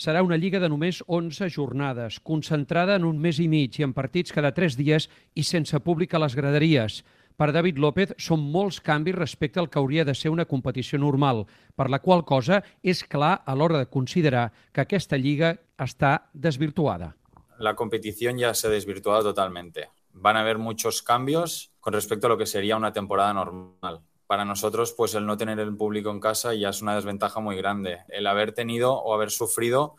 Serà una lliga de només 11 jornades, concentrada en un mes i mig i en partits cada 3 dies i sense públic a les graderies. Per David López són molts canvis respecte al que hauria de ser una competició normal, per la qual cosa és clar a l'hora de considerar que aquesta lliga està desvirtuada. La competición ya se ha desvirtuado totalmente. Van a haber muchos cambios con respecto a lo que sería una temporada normal. Para nosotros, pues el no tener el público en casa ya es una desventaja muy grande. El haber tenido o haber sufrido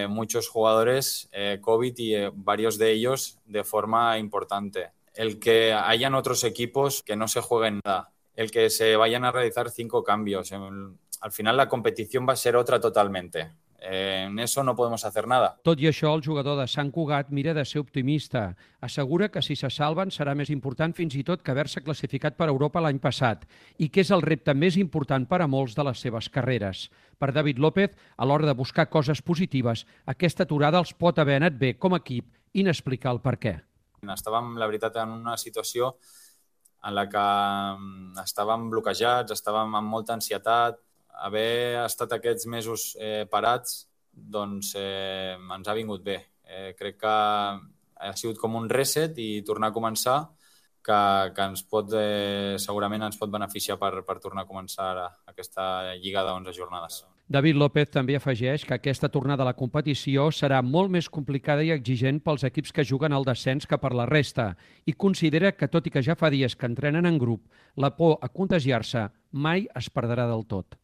muchos jugadores COVID y varios de ellos de forma importante. El que hayan otros equipos que no se jueguen nada. El que se vayan a realizar 5 cambios. Al final la competición va a ser otra totalmente. En eso no podemos hacer nada. Tot i això, el jugador de Sant Cugat mira de ser optimista. Assegura que si se salven serà més important fins i tot que haver-se classificat per Europa l'any passat i que és el repte més important per a molts de les seves carreres. Per David López, a l'hora de buscar coses positives, aquesta aturada els pot haver anat bé com a equip i n'explicar el per què. Estàvem, la veritat, en una situació en la que estàvem bloquejats, estàvem amb molta ansietat. Haver estat aquests mesos parats doncs ens ha vingut bé. Crec que ha sigut com un reset i tornar a començar que ens pot, segurament ens pot beneficiar per tornar a començar aquesta lliga d'11 jornades. David López també afegeix que aquesta tornada a la competició serà molt més complicada i exigent pels equips que juguen al descens que per la resta i considera que, tot i que ja fa dies que entrenen en grup, la por a contagiar-se mai es perdrà del tot.